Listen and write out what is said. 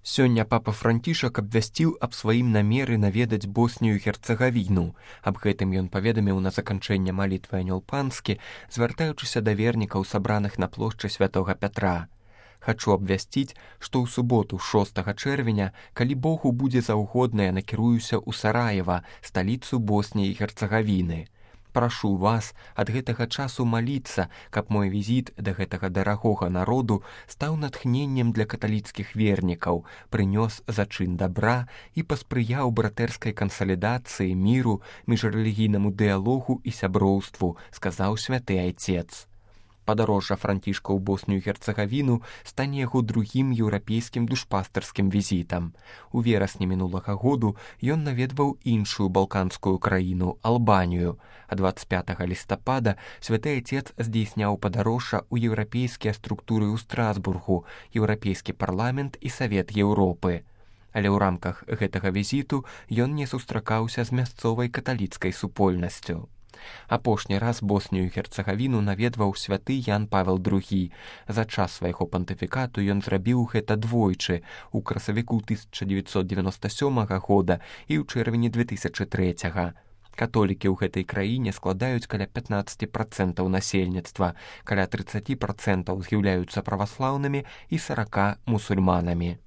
Сёння папа Францішак абвясціў аб сваім намеры наведаць Боснію і Герцагавіну. Аб гэтым ён паведаміў на заканчэнне малітвы Анёл Панскі, звяртаючыся да вернікаў, сабраных на плошчы Святога Пятра. Хачу абвясціць, што ў суботу 6 чэрвеня, калі Богу будзе заўгодна, я накіруюся ў Сараева, сталіцу Босніі і Герцагавіны. Прашу вас ад гэтага часу маліцца, каб мой візіт да гэтага дарагога народу стаў натхненнем для каталіцкіх вернікаў, прынёс зачын дабра і паспрыяў братэрскай кансалідацыі, міру, міжрэлігійнаму дыялогу і сяброўству, сказаў святы айцец. Падарожжа Францішка ў Боснію і Герцагавіну стане яго другім еўрапейскім душпастарскім візітам. У верасні мінулага году ён наведваў іншую балканскую краіну, Албанію, а 25 лістапада святы айцец здзейсняў падарожжа ў еўрапейскія структуры ў Страсбургу, Еўрапейскі парламент і Савет Еўропы. Але ў рамках гэтага візіту ён не сустракаўся з мясцовай каталіцкай супольнасцю. Апошні раз Боснію і Герцагавіну наведваў святы Ян Павел II. За час свайго пантыфікату ён зрабіў гэта двойчы, у красавіку 1997 года і ў чэрвені 2003. Католікі ў гэтай краіне складаюць каля 15% насельніцтва, каля 30% з'яўляюцца праваслаўнымі і 40% мусульманамі.